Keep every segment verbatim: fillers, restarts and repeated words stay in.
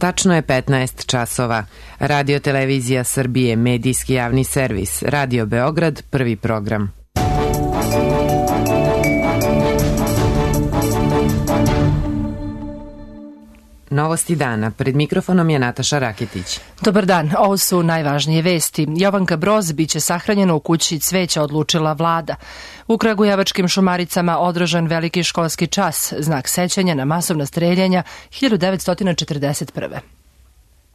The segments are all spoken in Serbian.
Tačno je petnaest časova. Radio Televizija Srbije, medijski javni servis. Radio Beograd, prvi program. Novosti dana. Pred mikrofonom je Nataša Raketić. Dobar dan, ovo su najvažnije vesti. Jovanka Broz biće sahranjena u kući cveća, odlučila vlada. U kragujevačkim Šumaricama održan veliki školski čas, znak sećanja na masovna streljanja hiljadu devetsto četrdeset prve.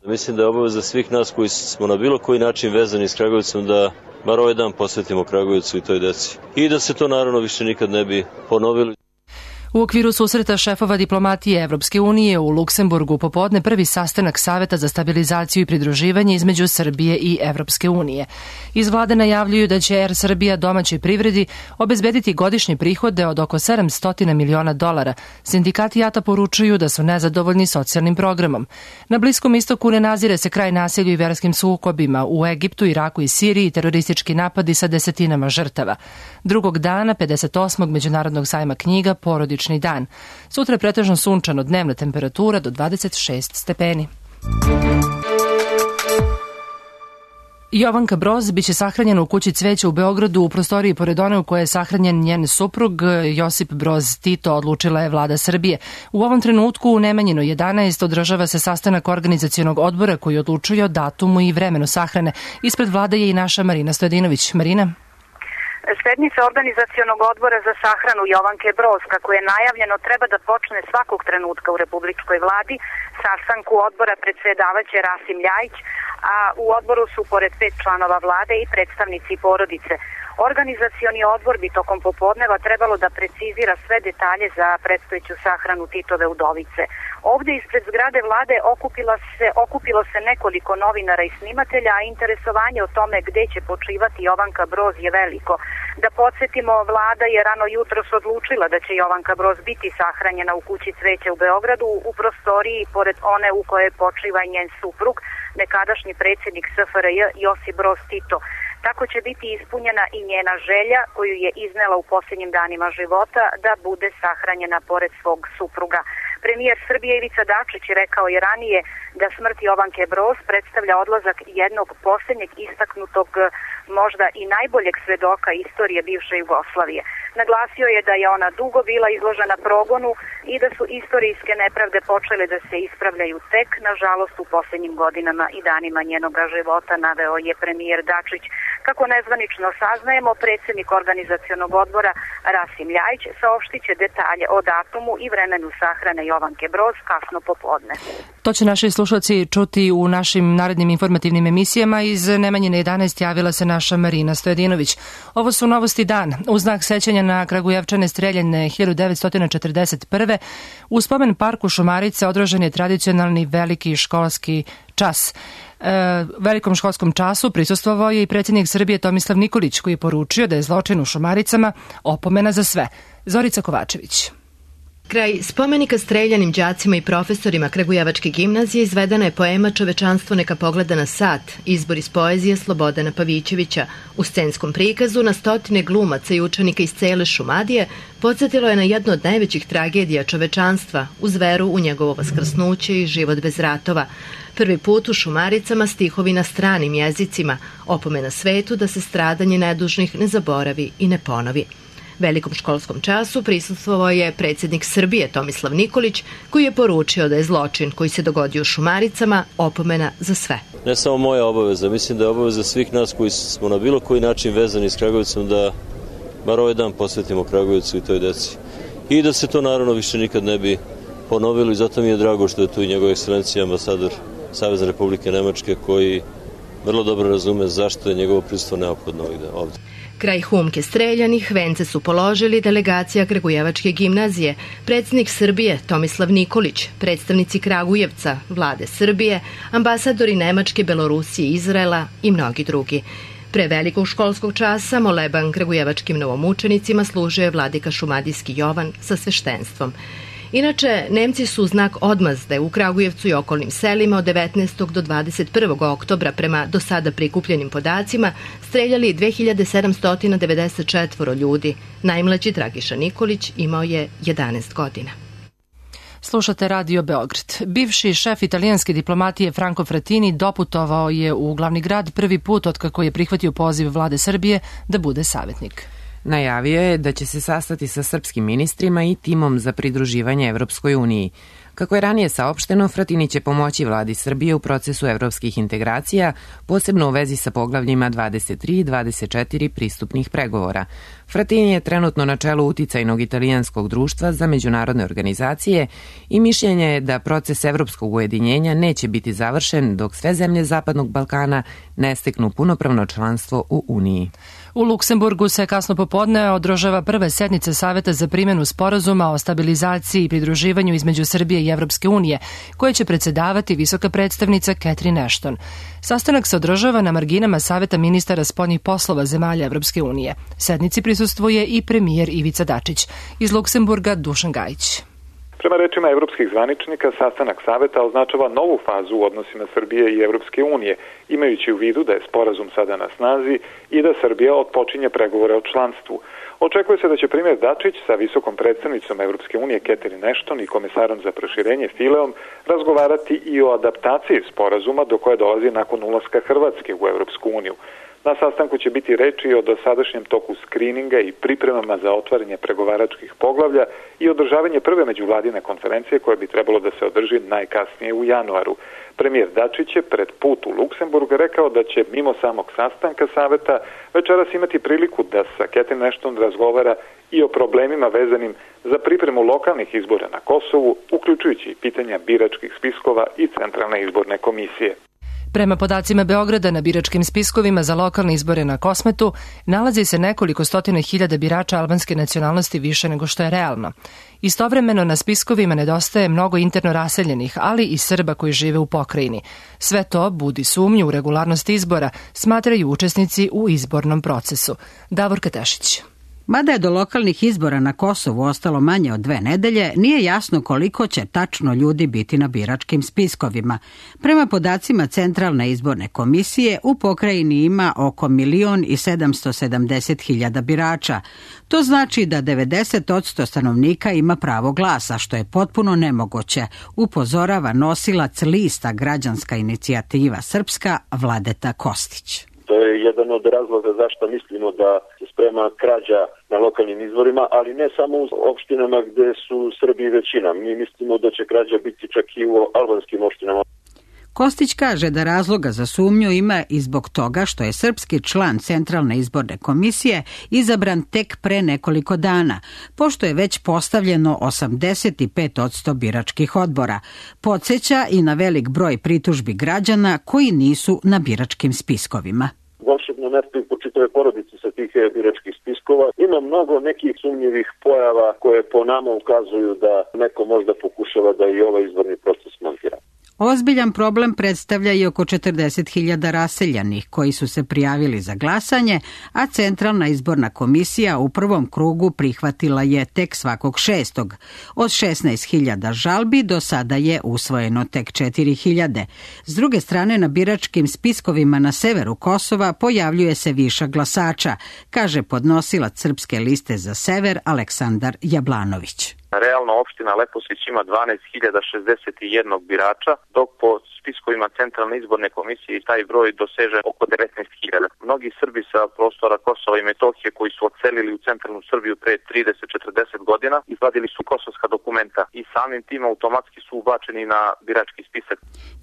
Mislim da je obaveza svih nas koji smo na bilo koji način vezani s Kragujevcom da bar ovaj dan posvetimo Kragujevcu i toj deci. I da se to naravno više nikad ne bi ponovilo. U okviru susreta šefova diplomatije Evropske unije u Luksemburgu popodne prvi sastanak Saveta za stabilizaciju i pridruživanje između Srbije i Evropske unije. Iz vlade najavljuju da će Er Srbija domaćoj privredi obezbediti godišnje prihode od oko sedamsto miliona dolara. Sindikati JAT-a poručuju da su nezadovoljni socijalnim programom. Na Bliskom istoku ne nazire se kraj nasilju i verskim sukobima. U Egiptu, Iraku i Siriji teroristički napadi sa desetinama žrtava. Drugog dana, pedeset osmog Međunarodnog sajma knjiga, porodični dan. Sutra je pretežno sunčano, dnevna temperatura do dvadeset šest stepeni. Jovanka Broz biće sahranjena u kući cveća u Beogradu u prostoriji pored one u kojoj je sahranjen njen suprug Josip Broz Tito, odlučila je vlada Srbije. U ovom trenutku u Nemanjinu jedanaest održava se sastanak organizacionog odbora koji odlučuje o datumu i vremenu sahrane. Ispred vlade je i naša Marina Stojadinović. Marina? Sednica organizacionog odbora za sahranu Jovanke Broz, kako je najavljeno, treba da počne svakog trenutka u republičkoj vladi. Sastanku odbora predsedavaće Rasim Ljajić, a u odboru su pored pet članova vlade i predstavnici porodice. Organizacioni odbor bi tokom popodneva trebalo da precizira sve detalje za predstojeću sahranu Titove udovice. Ovde ispred zgrade vlade okupilo se, okupilo se nekoliko novinara i snimatelja, a interesovanje o tome gde će počivati Jovanka Broz je veliko. Da podsjetimo, vlada je rano jutros odlučila da će Jovanka Broz biti sahranjena u kući cveća u Beogradu u prostoriji pored one u kojoj počiva njen suprug, nekadašnji predsjednik S F R J Josip Broz Tito. Tako će biti ispunjena i njena želja koju je iznela u posljednjim danima života da bude sahranjena pored svog supruga. Premijer Srbije Ivica Dačić je rekao i ranije da smrt Jovanke Broz predstavlja odlazak jednog posljednjeg istaknutog, možda i najboljeg svedoka istorije bivše Jugoslavije. Naglasio je da je ona dugo bila izložena progonu i da su istorijske nepravde počele da se ispravljaju tek, nažalost, u posljednjim godinama i danima njenoga života, naveo je premijer Dačić. Kako nezvanično saznajemo, predsjednik organizacionog odbora Rasim Ljajić saopštit će detalje o datumu i vremenu sahrane Jovanke Broz kasno popodne. To će naši slušalci čuti u našim narednim informativnim emisijama. Iz Nemanjine jedanaest javila se naša Marina Stojadinović. Ovo su novosti dan. U znak sećanja na Kragujevčane streljane hiljadu devetsto četrdeset prve u spomen parku Šumarice održan je tradicionalni veliki školski čas. E, velikom školskom času prisustvovao je i predsjednik Srbije Tomislav Nikolić, koji je poručio da je zločin u Šumaricama opomena za sve. Zorica Kovačević. Kraj spomenika streljanim đacima i profesorima Kragujevačke gimnazije izvedena je poema Čovečanstvo neka pogleda na sat, izbor iz poezije Slobodana Pavićevića. U scenskom prikazu na stotine glumaca i učenika iz cele Šumadije podsjetilo je na jednu od najvećih tragedija čovečanstva, uz veru u njegovo vaskrsnuće i život bez ratova. Prvi put u Šumaricama stihovi na stranim jezicima, opomena svetu da se stradanje nedužnih ne zaboravi i ne ponovi. Velikom školskom času prisustvovao je predsjednik Srbije Tomislav Nikolić, koji je poručio da je zločin koji se dogodio u Šumaricama opomena za sve. Ne samo moja obaveza, mislim da je obaveza svih nas koji smo na bilo koji način vezani s Kragujevcom da bar ovaj dan posvetimo Kragujevcu i toj deci. I da se to naravno više nikad ne bi ponovilo i zato mi je drago što je tu i njegova ekscelencija ambasador Savezne Republike Nemačke koji vrlo dobro razume zašto je njegovo prisustvo neophodno ovdje. Kraj humke streljanih vence su položili delegacija Kragujevačke gimnazije, predsjednik Srbije Tomislav Nikolić, predstavnici Kragujevca, vlade Srbije, ambasadori Nemačke, Belorusije, Izraela i mnogi drugi. Pre velikog školskog časa moleban kragujevačkim novomučenicima služio je vladika šumadijski Jovan sa sveštenstvom. Inače, Nemci su u znak odmazde u Kragujevcu i okolnim selima od devetnaestog do dvadeset prvog oktobra prema do sada prikupljenim podacima streljali dve hiljade sedamsto devedeset četiri ljudi. Najmlađi Dragiša Nikolić imao je jedanaest godina. Slušate Radio Beograd. Bivši šef italijanske diplomatije Franco Frattini doputovao je u glavni grad prvi put otkako je prihvatio poziv vlade Srbije da bude savjetnik. Najavio je da će se sastati sa srpskim ministrima i timom za pridruživanje Evropskoj uniji. Kako je ranije saopšteno, Frattini će pomoći vladi Srbije u procesu evropskih integracija, posebno u vezi sa poglavljima dvadeset tri i dvadeset četiri pristupnih pregovora. Frattini je trenutno na čelu uticajnog italijanskog društva za međunarodne organizacije i mišljenje je da proces evropskog ujedinjenja neće biti završen dok sve zemlje Zapadnog Balkana ne steknu punopravno članstvo u Uniji. U Luksemburgu se kasno popodne održava prve sednice Saveta za primjenu sporazuma o stabilizaciji i pridruživanju između Srbije i Evropske unije, koje će predsedavati visoka predstavnica Catherine Ashton. Sastanak se održava na marginama Saveta ministara spoljnih poslova zemalja Evropske unije. Sednici prisustvuje i premijer Ivica Dačić. Iz Luksemburga Dušan Gajić. Prema rečima evropskih zvaničnika, sastanak Saveta označava novu fazu u odnosima Srbije i Evropske unije, imajući u vidu da je sporazum sada na snazi i da Srbija otpočinje pregovore o članstvu. Očekuje se da će premijer Dačić sa visokom predstavnicom Evropske unije Catherine Ashton i komesarom za proširenje Fileom razgovarati i o adaptaciji sporazuma do koje dolazi nakon ulaska Hrvatske u Evropsku uniju. Na sastanku će biti reči o dosadašnjem toku skrininga i pripremama za otvaranje pregovaračkih poglavlja i održavanje prve međuvladine konferencije koja bi trebalo da se održi najkasnije u januaru. Premijer Dačić je pred put u Luksemburg rekao da će mimo samog sastanka Saveta večeras imati priliku da sa Catherine Ashton razgovara i o problemima vezanim za pripremu lokalnih izbora na Kosovu, uključujući pitanja biračkih spiskova i Centralne izborne komisije. Prema podacima Beograda, na biračkim spiskovima za lokalne izbore na Kosmetu nalazi se nekoliko stotina hiljada birača albanske nacionalnosti više nego što je realno. Istovremeno na spiskovima nedostaje mnogo interno raseljenih, ali i Srba koji žive u pokrajini. Sve to budi sumnju u regularnost izbora, smatraju učesnici u izbornom procesu. Davor Katešić. Mada je do lokalnih izbora na Kosovu ostalo manje od dve nedelje, nije jasno koliko će tačno ljudi biti na biračkim spiskovima. Prema podacima Centralne izborne komisije, u pokrajini ima oko milion i sedamsto sedamdeset hiljada birača. To znači da devedeset posto stanovnika ima pravo glasa, što je potpuno nemoguće, upozorava nosilac lista Građanska inicijativa Srpska Vladeta Kostić. To je jedan od razloga zašto mislimo da se sprema krađa na lokalnim izborima, ali ne samo u opštinama gde su Srbi većina. Mi mislimo da će krađa biti čak i u albanskim opštinama. Kostić kaže da razloga za sumnju ima i zbog toga što je srpski član Centralne izborne komisije izabran tek pre nekoliko dana, pošto je već postavljeno osamdeset pet posto biračkih odbora. Podsjeća i na velik broj pritužbi građana koji nisu na biračkim spiskovima. Volšebno mesto i po čitave porodice sa tih biračkih spiskova. Ima mnogo nekih sumnjivih pojava koje po nama ukazuju da neko možda pokušava da i ovaj izborni proces montira. Ozbiljan problem predstavlja i oko četrdeset hiljada raseljanih koji su se prijavili za glasanje, a Centralna izborna komisija u prvom krugu prihvatila je tek svakog šestog. Od šesnaest hiljada žalbi do sada je usvojeno tek četiri hiljade. S druge strane, na biračkim spiskovima na severu Kosova pojavljuje se višak glasača, kaže podnosilac Srpske liste za sever Aleksandar Jablanović. Realno opština Leposić ima dvanaest hiljada šezdeset jedan birača, dok po spiskovima Centralne izborne komisije taj broj doseže oko devetnaest hiljada. Mnogi Srbi sa prostora Kosova i Metohije koji su odselili u centralnu Srbiju pre trideset do četrdeset godina, izvadili su kosovska dokumenta i samim tim automatski su ubačeni na birački spisak.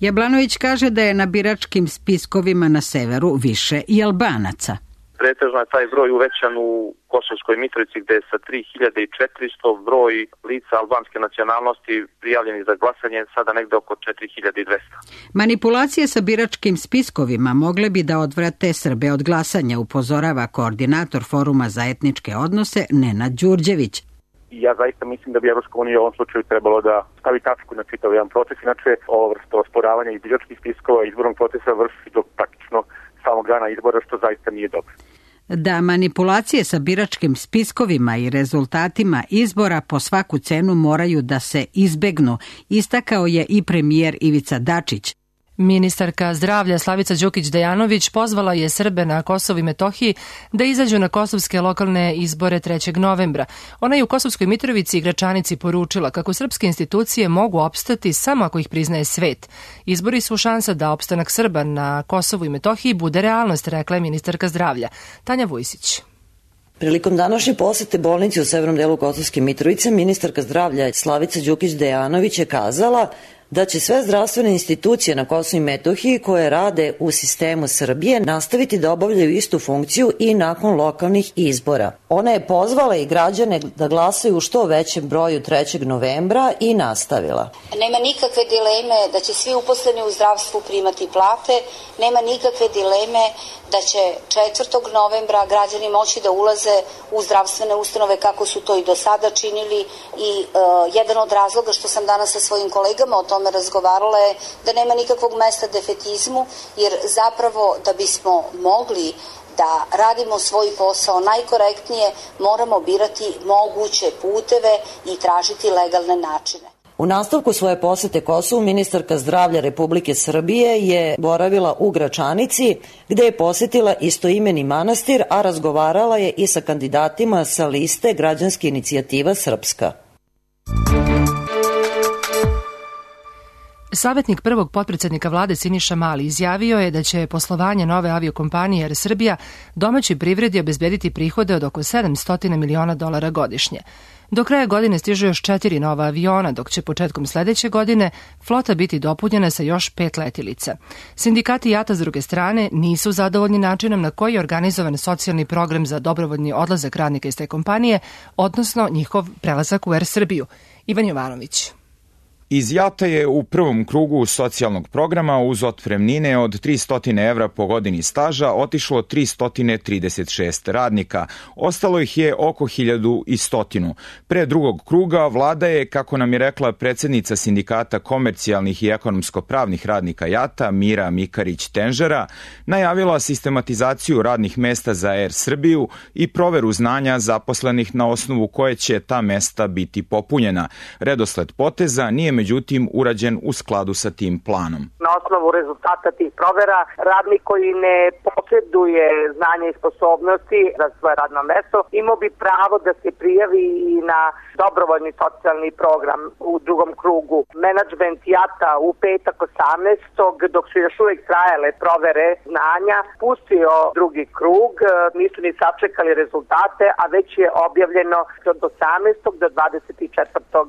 Jablanović kaže da je na biračkim spiskovima na severu više i Albanaca. Pretežno je taj broj uvećan u Kosovskoj Mitrovici gde je sa tri hiljade četiristo broj lica albanske nacionalnosti prijavljeni za glasanje sada negde oko četiri hiljade dvesta. Manipulacije sa biračkim spiskovima mogle bi da odvrate Srbe od glasanja, upozorava koordinator Foruma za etničke odnose Nenad Đurđević. Ja zaista mislim da bi Evropska unija u ovom slučaju trebalo da stavi tačku na čitav jedan proces, inače ovo vrsto osporavanja i biračkih spiskova i izbornog procesa vrši do praktično samog dana izbora, što zaista nije dobro. Da manipulacije sa biračkim spiskovima i rezultatima izbora po svaku cenu moraju da se izbegnu, istakao je i premijer Ivica Dačić. Ministarka zdravlja Slavica Đukić Dejanović pozvala je Srbe na Kosovu i Metohiji da izađu na kosovske lokalne izbore trećeg novembra. Ona je u Kosovskoj Mitrovici i Gračanici poručila kako srpske institucije mogu opstati samo ako ih priznaje svet. Izbori su šansa da opstanak Srba na Kosovu i Metohiji bude realnost, rekla je ministarka zdravlja. Tanja Vujsić. Prilikom današnje posete bolnici u severnom delu Kosovske Mitrovice, ministarka zdravlja Slavica Đukić Dejanović je kazala da će sve zdravstvene institucije na Kosovu i Metohiji koje rade u sistemu Srbije nastaviti da obavljaju istu funkciju i nakon lokalnih izbora. Ona je pozvala i građane da glasaju u što većem broju trećeg novembra i nastavila. Nema nikakve dileme da će svi uposleni u zdravstvu primati plate, nema nikakve dileme da će četvrtog novembra građani moći da ulaze u zdravstvene ustanove kako su to i do sada činili i uh, jedan od razloga što sam danas sa svojim kolegama o tome razgovarala je da nema nikakvog mesta defetizmu, jer zapravo da bismo mogli da radimo svoj posao najkorektnije, moramo birati moguće puteve i tražiti legalne načine. U nastavku svoje posete Kosovu, ministarka zdravlja Republike Srbije je boravila u Gračanici, gde je posetila istoimeni manastir, a razgovarala je i sa kandidatima sa liste Građanska inicijativa Srpska. Savjetnik prvog potpredsednika vlade Siniša Mali izjavio je da će poslovanje nove aviokompanije Air Srbija domaćoj privredi obezbediti prihode od oko sedamsto miliona dolara godišnje. Do kraja godine stižu još četiri nova aviona, dok će početkom sledeće godine flota biti dopunjena sa još pet letilica. Sindikati JAT-a s druge strane nisu zadovoljni načinom na koji je organizovan socijalni program za dobrovoljni odlazak radnika iz te kompanije, odnosno njihov prelazak u Air Srbiju. Ivan Jovanović. Iz JAT-a je u prvom krugu socijalnog programa uz otpremnine od tristo evra po godini staža otišlo tristo trideset šest radnika. Ostalo ih je oko hiljadu sto. Pre drugog kruga vlada je, kako nam je rekla predsednica Sindikata komercijalnih i ekonomsko-pravnih radnika JAT-a Mira Mikarić-Tenžera, najavila sistematizaciju radnih mesta za Air Srbiju i proveru znanja zaposlenih na osnovu koje će ta mesta biti popunjena. Redosled poteza nije međutim urađen u skladu sa tim planom. Na osnovu rezultata tih provera, radnik koji ne posjeduje znanje i sposobnosti za svoje radno mesto, imao bi pravo da se prijavi i na dobrovoljni socijalni program u drugom krugu. Menadžment JAT-a u petak osamnaestog dok su još uvijek trajale provere znanja, pustio drugi krug, nisu ni sačekali rezultate, a već je objavljeno od osamnaestog do dvadeset četvrtog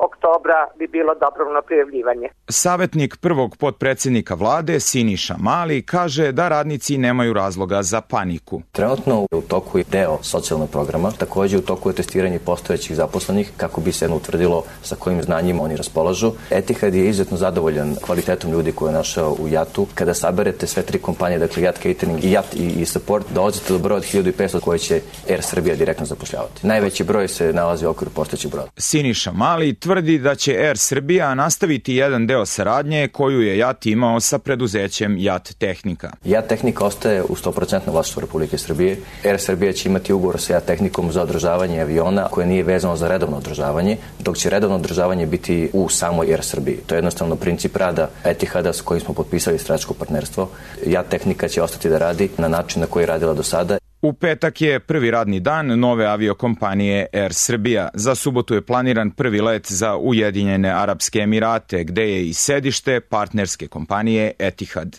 oktobra bi bilo dobrovoljno prijavljivanje. Savetnik prvog potpredsednika vlade Siniša Mali kaže da radnici nemaju razloga za paniku. Trenutno u toku je deo socijalnog programa, takođe u toku je testiranje postojećih zaposlenih kako bi se utvrdilo sa kojim znanjima oni raspolažu. Etihad je izuzetno zadovoljan kvalitetom ljudi koje je našao u JAT-u. Kada saberete sve tri kompanije, dakle JAT Catering, JAT i, i Support, dolazite do broja od hiljadu petsto koje će Air Srbija direktno zapošljavati. Najveći broj se nalazi u okviru postojećih broja. Siniša Mali tvrdi da će Air Srbija nastaviti jedan deo saradnje koju je JAT imao sa preduzećem JAT Tehnika. JAT Tehnika ostaje u sto posto vlasništvu Republike Srbije. Air Srbija će imati ugovor sa JAT Tehnikom za održavanje aviona koje nije vezano za redovno održavanje, dok će redovno održavanje biti u samoj Air Srbiji. To je jednostavno princip rada Etihada s kojim smo potpisali strateško partnerstvo. JAT Tehnika će ostati da radi na način na koji je radila do sada. U petak je prvi radni dan nove aviokompanije Air Srbija. Za subotu je planiran prvi let za Ujedinjene Arapske Emirate, gde je i sedište partnerske kompanije Etihad.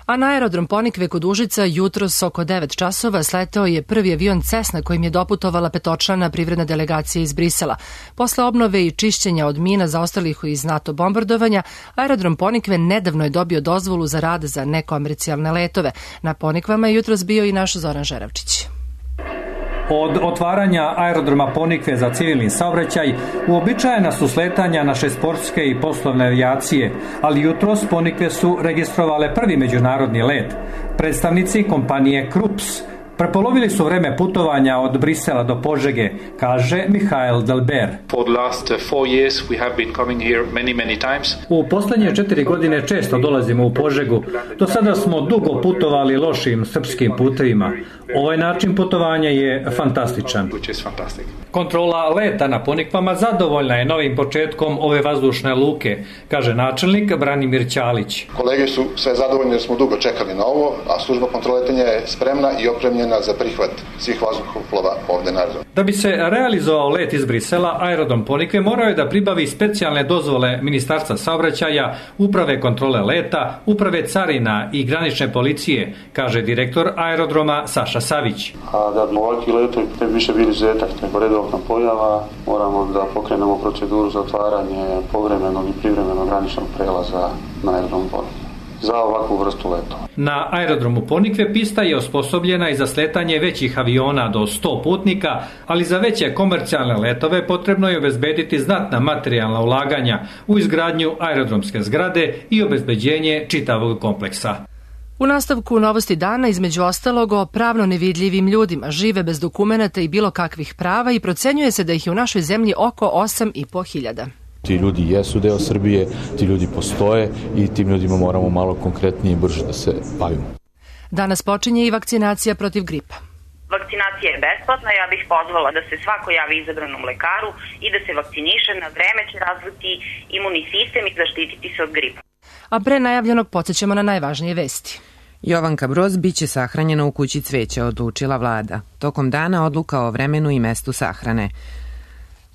A na aerodrom Ponikve kod Užica jutros oko devet časova sleteo je prvi avion Cessna kojim je doputovala petočlana privredna delegacija iz Brisela. Posle obnove i čišćenja od mina zaostalih iz NATO bombardovanja, aerodrom Ponikve nedavno je dobio dozvolu za rad za nekomercijalne letove. Na Ponikvama je jutros bio i naš Zoran Žeravčić. Od otvaranja aerodroma Ponikve za civilni saobraćaj uobičajena su sletanja naše sportske i poslovne avijacije, ali jutros Ponikve su registrovale prvi međunarodni let. Predstavnici kompanije Krups Prepolovili su vreme putovanja od Brisela do Požege, kaže Mihael Delber. U poslednje četiri godine često dolazimo u Požegu. Do sada smo dugo putovali lošim srpskim putevima. Ovaj način putovanja je fantastičan. Kontrola leta na Ponikvama zadovoljna je novim početkom ove vazdušne luke, kaže načelnik Branimir Ćalić. Kolege su sve zadovoljni jer smo dugo čekali na ovo, a služba kontrole letenja je spremna i opremljena za prihvat svih vazduhoplova ovde na aerodromu. Da bi se realizovao let iz Brisela, aerodrom Ponikve morao je da pribavi specijalne dozvole Ministarstva saobraćaja, uprave kontrole leta, uprave carina i granične policije, kaže direktor aerodroma Saša Savić. A da bi ovakvi letovi ne bi više bili izuzetak nego redovna pojava, moramo da pokrenemo proceduru za otvaranje povremenog i privremenog graničnog prelaza na aerodrom Ponikve za ovakvu vrstu letova. Na aerodromu Ponikve pista je osposobljena i za sletanje većih aviona do sto putnika, ali za veće komercijalne letove potrebno je obezbediti znatna materijalna ulaganja u izgradnju aerodromske zgrade i obezbeđenje čitavog kompleksa. U nastavku novosti dana, između ostalog, o pravno nevidljivim ljudima, žive bez dokumenata i bilo kakvih prava i procenjuje se da ih je u našoj zemlji oko osam i po hiljada. Ti ljudi jesu deo Srbije, ti ljudi postoje i tim ljudima moramo malo konkretnije i brže da se bavimo. Danas počinje i vakcinacija protiv gripa. Vakcinacija je besplatna, ja bih pozvala da se svako javi izabranom lekaru i da se vakciniše, na vreme će razviti imunni sistem i zaštititi se od gripa. A pre najavljenog podsjećamo na najvažnije vesti. Jovanka Broz biće sahranjena u kući cveća, odlučila vlada. Tokom dana odluka o vremenu i mestu sahrane.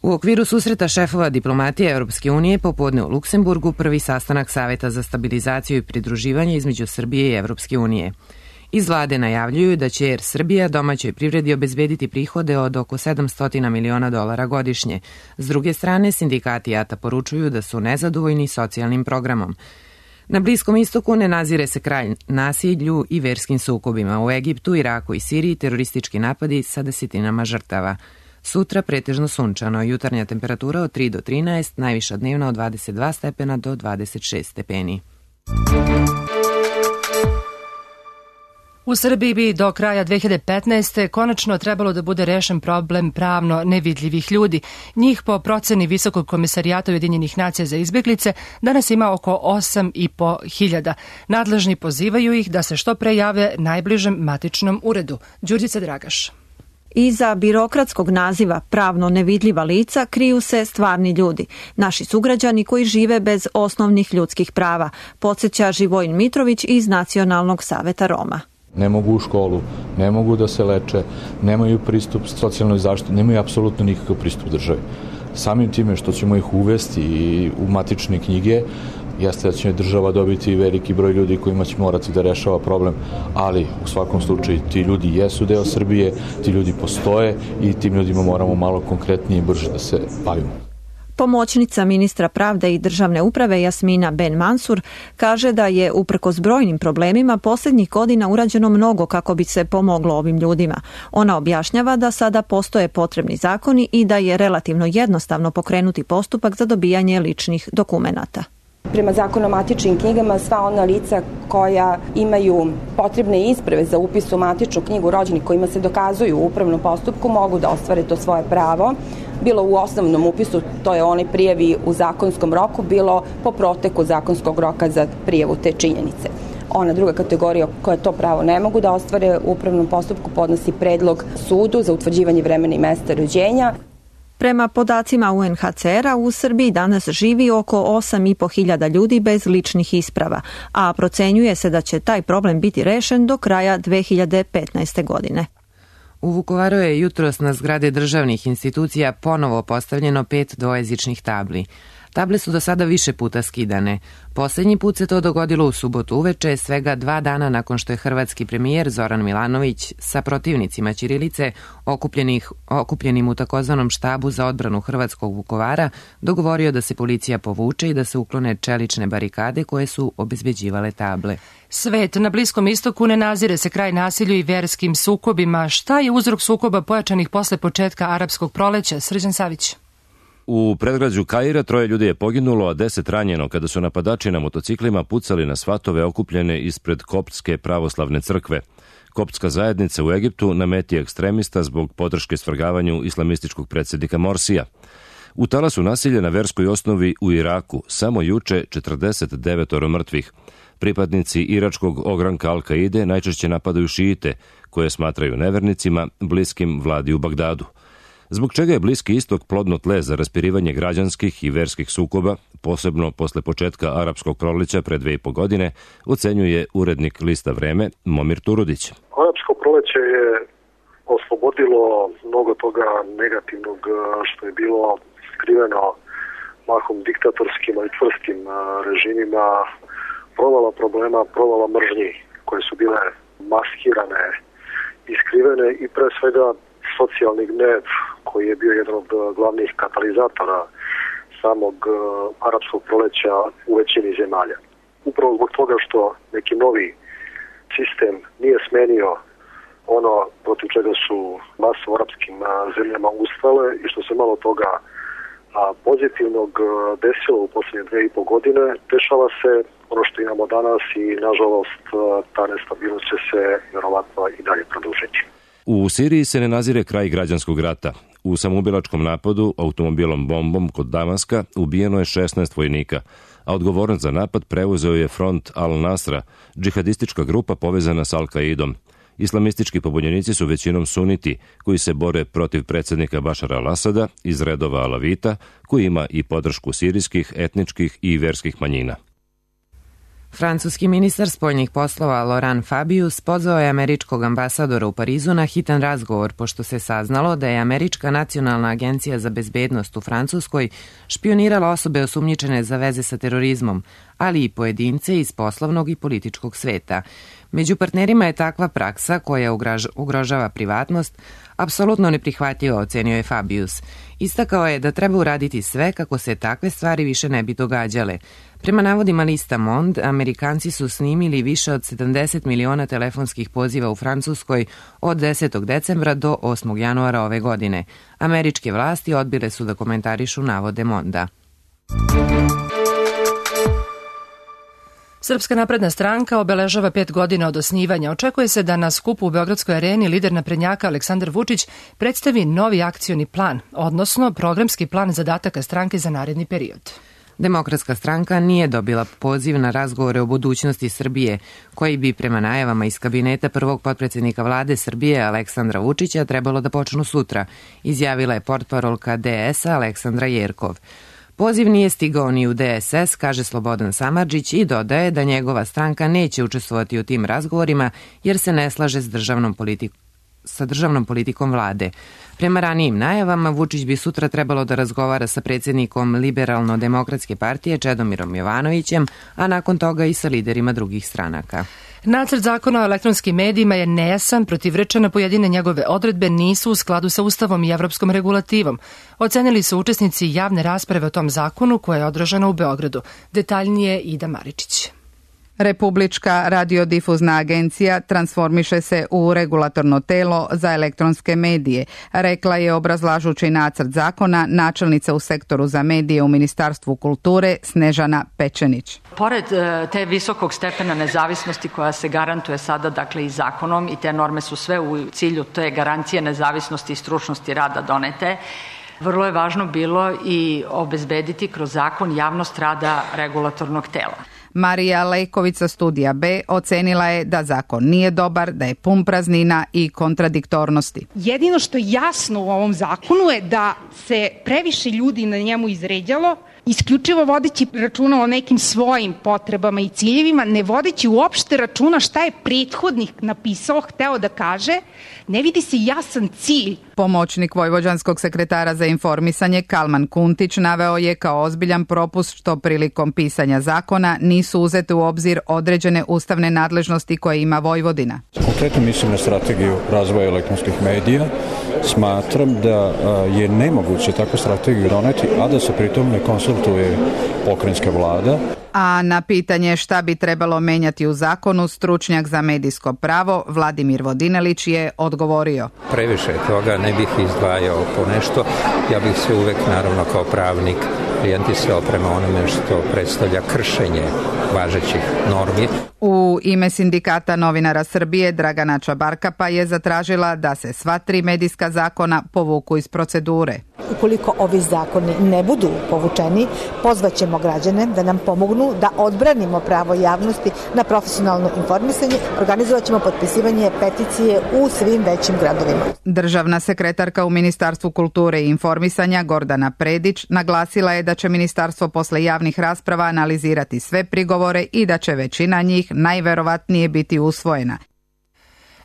U okviru susreta šefova diplomatije Evropske unije popodne u Luksemburgu prvi sastanak Saveta za stabilizaciju i pridruživanje između Srbije i Evropske unije. Iz vlade najavljuju da će Er Srbija domaćoj privredi obezbediti prihode od oko sedamsto miliona dolara godišnje. S druge strane, sindikati JATA poručuju da su nezadovoljni socijalnim programom. Na Bliskom istoku ne nazire se kraj nasilju i verskim sukobima. U Egiptu, Iraku i Siriji teroristički napadi sa desetinama žrtava. Sutra pretežno sunčano, jutarnja temperatura od tri do trinaest, najviša dnevna od dvadeset dva stepena do dvadeset šest stepeni. U Srbiji bi do kraja dve hiljade petnaeste. konačno trebalo da bude rešen problem pravno nevidljivih ljudi. Njih po proceni Visokog komisarijata Ujedinjenih nacija za izbeglice danas ima oko osam i po hiljada. Nadležni pozivaju ih da se što pre jave najbližem matičnom uredu. Đurđica Dragaš. Iza birokratskog naziva pravno nevidljiva lica kriju se stvarni ljudi, naši sugrađani koji žive bez osnovnih ljudskih prava, podsjeća Živojin Mitrović iz Nacionalnog saveta Roma. Ne mogu u školu, ne mogu da se leče, nemaju pristup socijalnoj zaštiti, nemaju apsolutno nikakav pristup državi. Samim time što ćemo ih uvesti u matične knjige, jeste da će država dobiti veliki broj ljudi kojima će morati da rešava problem, ali u svakom slučaju ti ljudi jesu deo Srbije, ti ljudi postoje i tim ljudima moramo malo konkretnije i brže da se bavimo. Pomoćnica ministra pravde i državne uprave Jasmina Ben Mansur kaže da je uprkos brojnim problemima posljednjih godina urađeno mnogo kako bi se pomoglo ovim ljudima. Ona objašnjava da sada postoje potrebni zakoni i da je relativno jednostavno pokrenuti postupak za dobijanje ličnih dokumenata. Prema zakonu o matičnim knjigama, sva ona lica koja imaju potrebne isprave za upis u matičnu knjigu rođenih kojima se dokazuju u upravnom postupku mogu da ostvare to svoje pravo. Bilo u osnovnom upisu, to je onaj prijavi u zakonskom roku, bilo po proteku zakonskog roka za prijavu te činjenice. Ona druga kategorija koja to pravo ne mogu da ostvare u upravnom postupku podnosi predlog sudu za utvrđivanje vremena i mesta rođenja. Prema podacima U N H C R-a u Srbiji danas živi oko osam i po hiljada ljudi bez ličnih isprava, a procenjuje se da će taj problem biti rešen do kraja dve hiljade petnaeste. godine. U Vukovaru je jutros na zgrade državnih institucija ponovo postavljeno pet dvojezičnih tabli. Table su do sada više puta skidane. Poslednji put se to dogodilo u subotu uveče, svega dva dana nakon što je hrvatski premijer Zoran Milanović sa protivnicima ćirilice, okupljenih, okupljenim u takozvanom štabu za odbranu hrvatskog Vukovara, dogovorio da se policija povuče i da se uklone čelične barikade koje su obezbeđivale table. Svet na Bliskom istoku ne nazire se kraj nasilju i verskim sukobima. Šta je uzrok sukoba pojačanih posle početka arapskog proleća? Srđan Savić. U predgrađu Kaira troje ljudi je poginulo, a deset ranjeno kada su napadači na motociklima pucali na svatove okupljene ispred Koptske pravoslavne crkve. Koptska zajednica u Egiptu na meti ekstremista zbog podrške svrgavanju islamističkog predsjednika Morsija. U talasu nasilja na verskoj osnovi u Iraku samo juče četrdeset devet mrtvih. Pripadnici iračkog ogranka Al-Kaide najčešće napadaju šiite, koje smatraju nevernicima, bliskim vladi u Bagdadu. Zbog čega je Bliski istok plodno tle za raspirivanje građanskih i verskih sukoba, posebno posle početka arapskog proleća pre dve i po godine, ocenjuje urednik lista Vreme Momir Turudić. Arapsko proleće je oslobodilo mnogo toga negativnog što je bilo skriveno mahom diktatorskima i čvrstim režimima, provala problema, provala mržnji koje su bile maskirane i skrivene i pre svega socijalni gnev koji je bio jedan od glavnih katalizatora samog arapskog proleća u većini zemalja. Upravo zbog toga što neki novi sistem nije smenio ono protiv čega su mase u arapskim zemljama ustale i što se malo toga pozitivnog desilo u posljednje dve i po godine, dešava se ono što imamo danas i nažalost ta nestabilnost će se vjerovatno i dalje produžiti. U Siriji se ne nazire kraj građanskog rata. U samoubilačkom napadu automobilom bombom kod Damaska ubijeno je šesnaest vojnika, a odgovornost za napad preuzeo je front Al-Nasra, džihadistička grupa povezana s Al-Kaidom. Islamistički pobunjenici su većinom suniti, koji se bore protiv predsjednika Bašara al-Asada iz redova Alavita, koji ima i podršku sirijskih, etničkih i verskih manjina. Francuski ministar spoljnih poslova Laurent Fabius pozvao je američkog ambasadora u Parizu na hitan razgovor, pošto se saznalo da je Američka nacionalna agencija za bezbednost u Francuskoj špionirala osobe osumnjičene za veze sa terorizmom, ali i pojedince iz poslovnog i političkog sveta. Među partnerima je takva praksa koja ugrožava privatnost apsolutno neprihvatljiva, ocenio je Fabius. Istakao je da treba uraditi sve kako se takve stvari više ne bi događale. Prema navodima lista Monde, Amerikanci su snimili više od sedamdeset miliona telefonskih poziva u Francuskoj od desetog decembra do osmog januara ove godine. Američke vlasti odbile su da komentarišu navode Monda. Srpska napredna stranka obeležava pet godina od osnivanja. Očekuje se da na skupu u Beogradskoj areni lider naprednjaka Aleksandar Vučić predstavi novi akcioni plan, odnosno programski plan zadataka stranke za naredni period. Demokratska stranka nije dobila poziv na razgovore o budućnosti Srbije, koji bi prema najavama iz kabineta prvog potpredsjednika vlade Srbije Aleksandra Vučića trebalo da počnu sutra, izjavila je portparolka D S-a Aleksandra Jerkov. Poziv nije stigao ni u D S S, kaže Slobodan Samardžić i dodaje da njegova stranka neće učestvovati u tim razgovorima jer se ne slaže s državnom politikom sa državnom politikom vlade. Prema ranijim najavama, Vučić bi sutra trebalo da razgovara sa predsjednikom Liberalno-demokratske partije Čedomirom Jovanovićem, a nakon toga i sa liderima drugih stranaka. Nacrt zakona o elektronskim medijima je nejasan, protivrečene pojedine njegove odredbe nisu u skladu sa Ustavom i evropskom regulativom. Ocenili su učesnici javne rasprave o tom zakonu koja je održana u Beogradu. Detaljnije Ida Maričić. Republička radiodifuzna agencija transformiše se u regulatorno telo za elektronske medije, rekla je obrazlažući nacrt zakona načelnica u sektoru za medije u Ministarstvu kulture Snežana Pečenić. Pored te visokog stepena nezavisnosti koja se garantuje sada dakle i zakonom i te norme su sve u cilju te garancije nezavisnosti i stručnosti rada donete, vrlo je važno bilo i obezbediti kroz zakon javnost rada regulatornog tela. Marija Lejković sa Studija B ocenila je da zakon nije dobar, da je pun praznina i kontradiktornosti. Jedino što je jasno u ovom zakonu je da se previše ljudi na njemu izređalo, isključivo vodeći računa o nekim svojim potrebama i ciljevima, ne vodeći uopšte računa šta je prethodnik napisao, hteo da kaže, ne vidi se jasan cilj. Pomoćnik vojvođanskog sekretara za informisanje Kalman Kuntić naveo je kao ozbiljan propust što prilikom pisanja zakona nisu uzete u obzir određene ustavne nadležnosti koje ima Vojvodina. Konkretno mislim na strategiju razvoja elektronskih medija. Smatram da je nemoguće takvu strategiju doneti, a da se pritom ne konsultuje pokrajinska vlada. A na pitanje šta bi trebalo menjati u zakonu, stručnjak za medijsko pravo Vladimir Vodinelić je odgovorio. Previše toga ne bih izdvajao po nešto. Ja bih se uvek, naravno, kao pravnik orijentisao prema onome što predstavlja kršenje važećih normi. U ime Sindikata novinara Srbije Dragana Čabarkapa je zatražila da se sva tri medijska zakona povuku iz procedure. Ukoliko ovi zakoni ne budu povučeni, pozvaćemo građane da nam pomognu da odbranimo pravo javnosti na profesionalno informisanje. Organizovat ćemo potpisivanje peticije u svim većim gradovima. Državna sekretarka u Ministarstvu kulture i informisanja Gordana Predić naglasila je da će ministarstvo posle javnih rasprava analizirati sve prigovore i da će većina njih najverovatnije biti usvojena.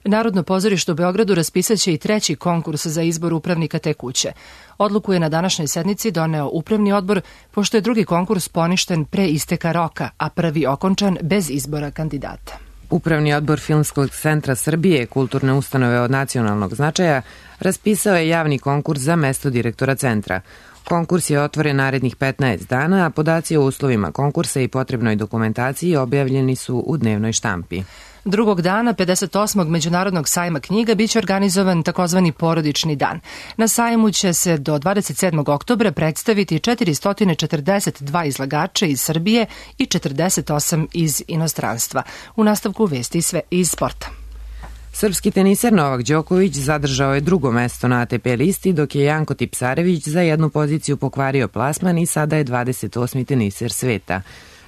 Narodno pozorište u Beogradu raspisaće i treći konkurs za izbor upravnika te kuće. Odluku je na današnjoj sednici doneo upravni odbor, pošto je drugi konkurs poništen pre isteka roka, a prvi okončan bez izbora kandidata. Upravni odbor Filmskog centra Srbije, kulturne ustanove od nacionalnog značaja, raspisao je javni konkurs za mesto direktora centra. Konkurs je otvoren narednih petnaest dana, a podaci o uslovima konkursa i potrebnoj dokumentaciji objavljeni su u dnevnoj štampi. Drugog dana pedeset osmog Međunarodnog sajma knjiga biće organizovan takozvani porodični dan. Na sajmu će se do dvadeset sedmog oktobra predstaviti četiristo četrdeset dva izlagača iz Srbije i četrdeset osam iz inostranstva. U nastavku vesti sve iz sporta. Srpski teniser Novak Đoković zadržao je drugo mesto na A T P listi, dok je Janko Tipsarević za jednu poziciju pokvario plasman i sada je dvadeset osmi teniser sveta.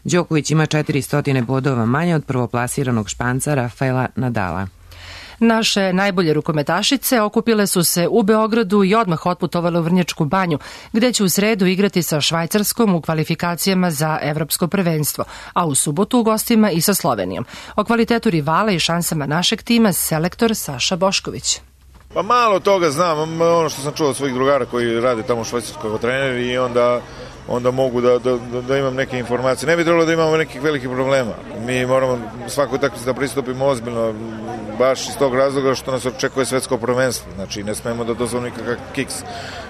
Đoković ima četiristo bodova manje od prvoplasiranog Španca Rafaela Nadala. Naše najbolje rukometašice okupile su se u Beogradu i odmah otputovale u Vrnjačku banju, gde će u sredu igrati sa Švajcarskom u kvalifikacijama za evropsko prvenstvo, a u subotu u gostima i sa Slovenijom. O kvalitetu rivala i šansama našeg tima selektor Saša Bošković. Pa malo toga znam, ono što sam čuo od svojih drugara koji rade tamo u Švajcarskoj kao treneri i onda onda mogu da, da, da imam neke informacije. Ne bi trebalo da imamo nekih velikih problema. Mi moramo svakoj utakmici da pristupimo ozbiljno, baš iz tog razloga što nas očekuje svetsko prvenstvo. Znači, ne smemo da dozvolimo nikakav kiks.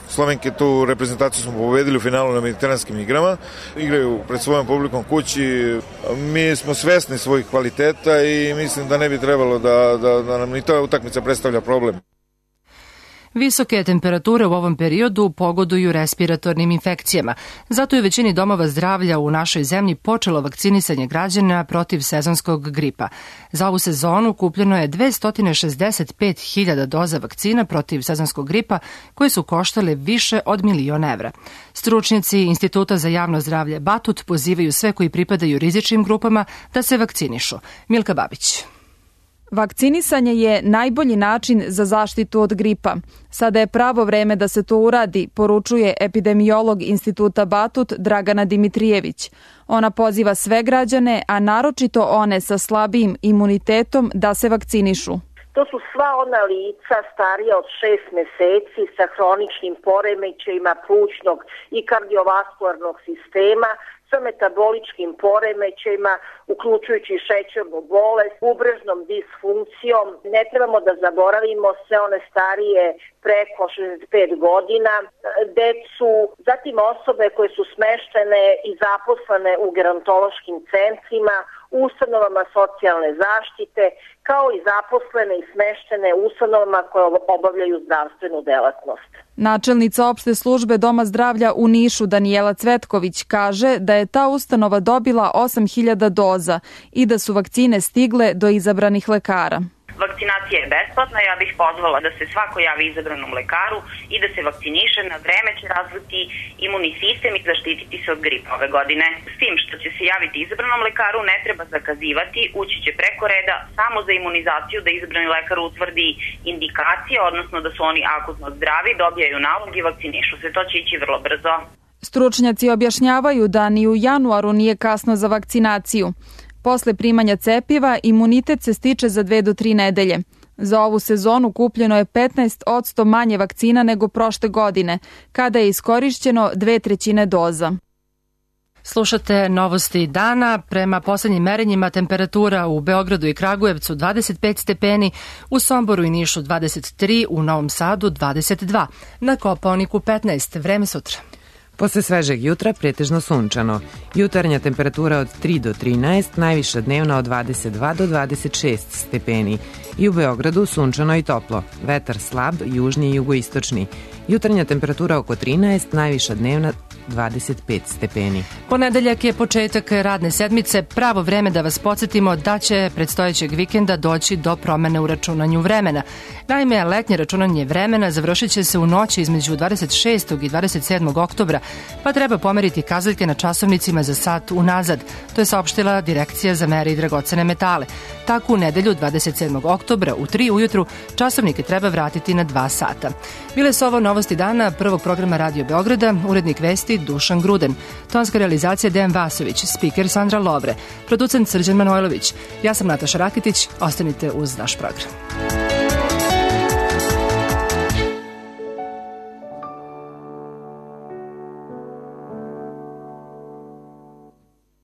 Slovenke tu reprezentaciju smo pobedili u finalu na mediteranskim igrama. Igraju pred svojom publikom kući. Mi smo svesni svojih kvaliteta i mislim da ne bi trebalo da, da, da nam ni ta utakmica predstavlja problem. Visoke temperature u ovom periodu pogoduju respiratornim infekcijama. Zato je većini domova zdravlja u našoj zemlji počelo vakcinisanje građana protiv sezonskog gripa. Za ovu sezonu kupljeno je dvesta šezdeset pet hiljada doza vakcina protiv sezonskog gripa koje su koštale više od milion evra. Stručnjaci Instituta za javno zdravlje Batut pozivaju sve koji pripadaju rizičnim grupama da se vakcinišu. Milka Babić. Vakcinisanje je najbolji način za zaštitu od gripa. Sada je pravo vreme da se to uradi, poručuje epidemiolog Instituta Batut Dragana Dimitrijević. Ona poziva sve građane, a naročito one sa slabijim imunitetom, da se vakcinišu. To su sva ona lica starija od šest meseci sa hroničnim poremećajima plućnog i kardiovaskularnog sistema, sa metaboličkim poremećajima, uključujući šećernu bolest, bubrežnom disfunkcijom. Ne trebamo da zaboravimo sve one starije preko šezdeset pet godina, decu, zatim osobe koje su smeštene i zaposlene u gerontološkim centrima, ustanovama socijalne zaštite, kao i zaposlene i smeštene ustanovama koje obavljaju zdravstvenu delatnost. Načelnica opšte službe Doma zdravlja u Nišu Danijela Cvetković kaže da je ta ustanova dobila osam hiljada doza i da su vakcine stigle do izabranih lekara. Vakcinacija je besplatna, ja bih pozvala da se svako javi izabranom lekaru i da se vakciniše. Na vreme će razviti imunni sistem i zaštititi se od gripa ove godine. S tim što će se javiti izabranom lekaru ne treba zakazivati, ući će preko reda samo za imunizaciju da izabrani lekar utvrdi indikacije, odnosno da su oni akutno zdravi, dobijaju nalog i vakcinišu se. To će ići vrlo brzo. Stručnjaci objašnjavaju da ni u januaru nije kasno za vakcinaciju. Posle primanja cepiva, imunitet se stiče za dve do tri nedelje. Za ovu sezonu kupljeno je petnaest posto manje vakcina nego prošle godine, kada je iskorišćeno dve trećine doza. Slušate novosti dana. Prema poslednjim merenjima temperatura u Beogradu i Kragujevcu dvadeset pet stepeni, u Somboru i Nišu dvadeset tri, u Novom Sadu dvadeset dva, na Kopaoniku petnaest. Vreme sutra. Posle svežeg jutra pretežno sunčano. Jutarnja temperatura od tri do trinaest, najviša dnevna od dvadeset dva do dvadeset šest stepeni. I u Beogradu sunčano i toplo. Vetar slab, južni i jugoistočni. Jutarnja temperatura oko trinaest, najviša dnevna dvadeset pet stepeni. Ponedeljak je početak radne sedmice, pravo vreme da vas podsjetimo da će predstojećeg vikenda doći do promene u računanju vremena. Naime, letnje računanje vremena završit će se u noći između dvadeset šestog i dvadeset sedmog oktobra, pa treba pomeriti kazaljke na časovnicima za sat unazad. To je saopštila Direkcija za mere i dragocene metale. Tako u nedelju dvadeset sedmog oktobra u tri ujutru časovnike treba vratiti na dva sata. Bile su ovo novosti dana prvog programa Radio Beograda, urednik vesti Dušan Gruden, tonska realizacija Dejan Vasović, spiker Sandra Lovre, producent Srđan Manojlović. Ja sam Nataša Rakitić, ostanite uz naš program.